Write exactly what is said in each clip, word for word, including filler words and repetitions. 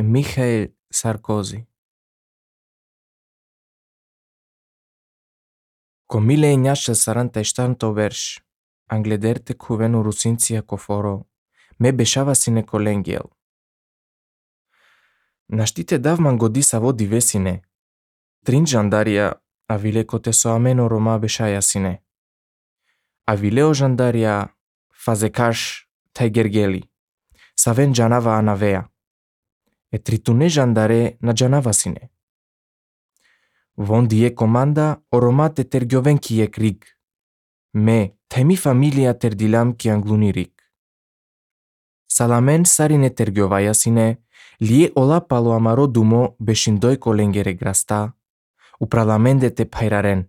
Michael Sarkozy. Co mille ignace saranta e stanto verš, anglederte cuvenu rusinția coforo, me bešava sine colengiel. Naštite davman godisa vo divesine, trin jandaria avile cote so ameno roma bešaja sine. Avileo jandaria fazekash taigergeli, saven janava anavea, e tritune jandare na janava sine. Von die comanda oromate tergiovenki e crig, me temi familia terdilam ki anglunirik. Salamen sarine tergiovaya sine, lie ola palo amaro dumo beshindoi colengere grasta, upralamende te pairaren.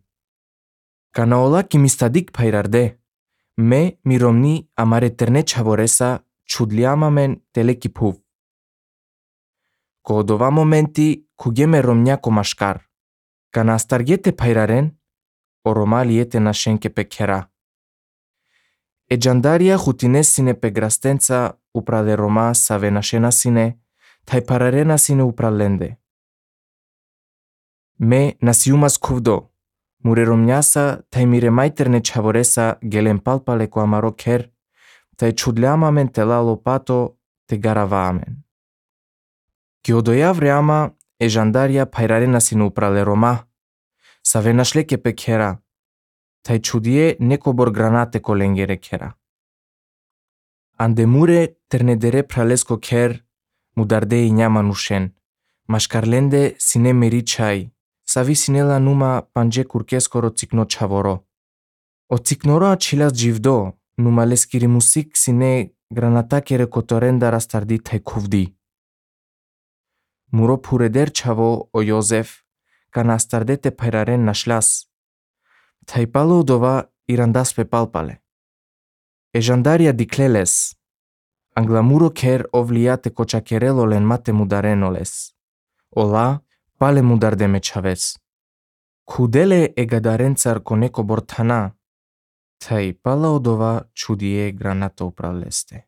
Cana ola ki mistadik pairarde, me miromni amare terne chavoresa chudliamamen telekipuv. Kodova momenti kugeme romnia komashkar. Cana stargete pairaren, oroma liete nashenke pe kera. E jandaria jutines sine pe grastența upra de roma save nashena sine, tai pararena sine upralende. Me nasiumas kuvdo, mure romniasa tai mire mai terne chavoresa gelen palpale cu amaro ker, tai chudleamamen te la lopato te garavaamen. Chiodoia vreama e jandaria pairarena sine uprale roma, save nashleke pe kera, tai chudie necobor granate colengere kera. Andemure ternedere pralesco ker, mudarde iñama nushen, mașcarlende sine meri chai, savi sinela numa panje curchescoro țicno chavoro. O țicnoro acilas jivdo, numa leskiri music sine granatachere cotorenda rastardi tai cuvdi. Muro pureder chavo o Iosef, cana stardete pairaren našlas, tai palo dova irandas pe palpale. E jandaria dicleles, anglamuro ker ovliate cochacherelo len mate mudarenoles. Ola, pale mudarde me chaves. Kudele e gadarențar coneco bortana, tai pala odova chudie granato praleste.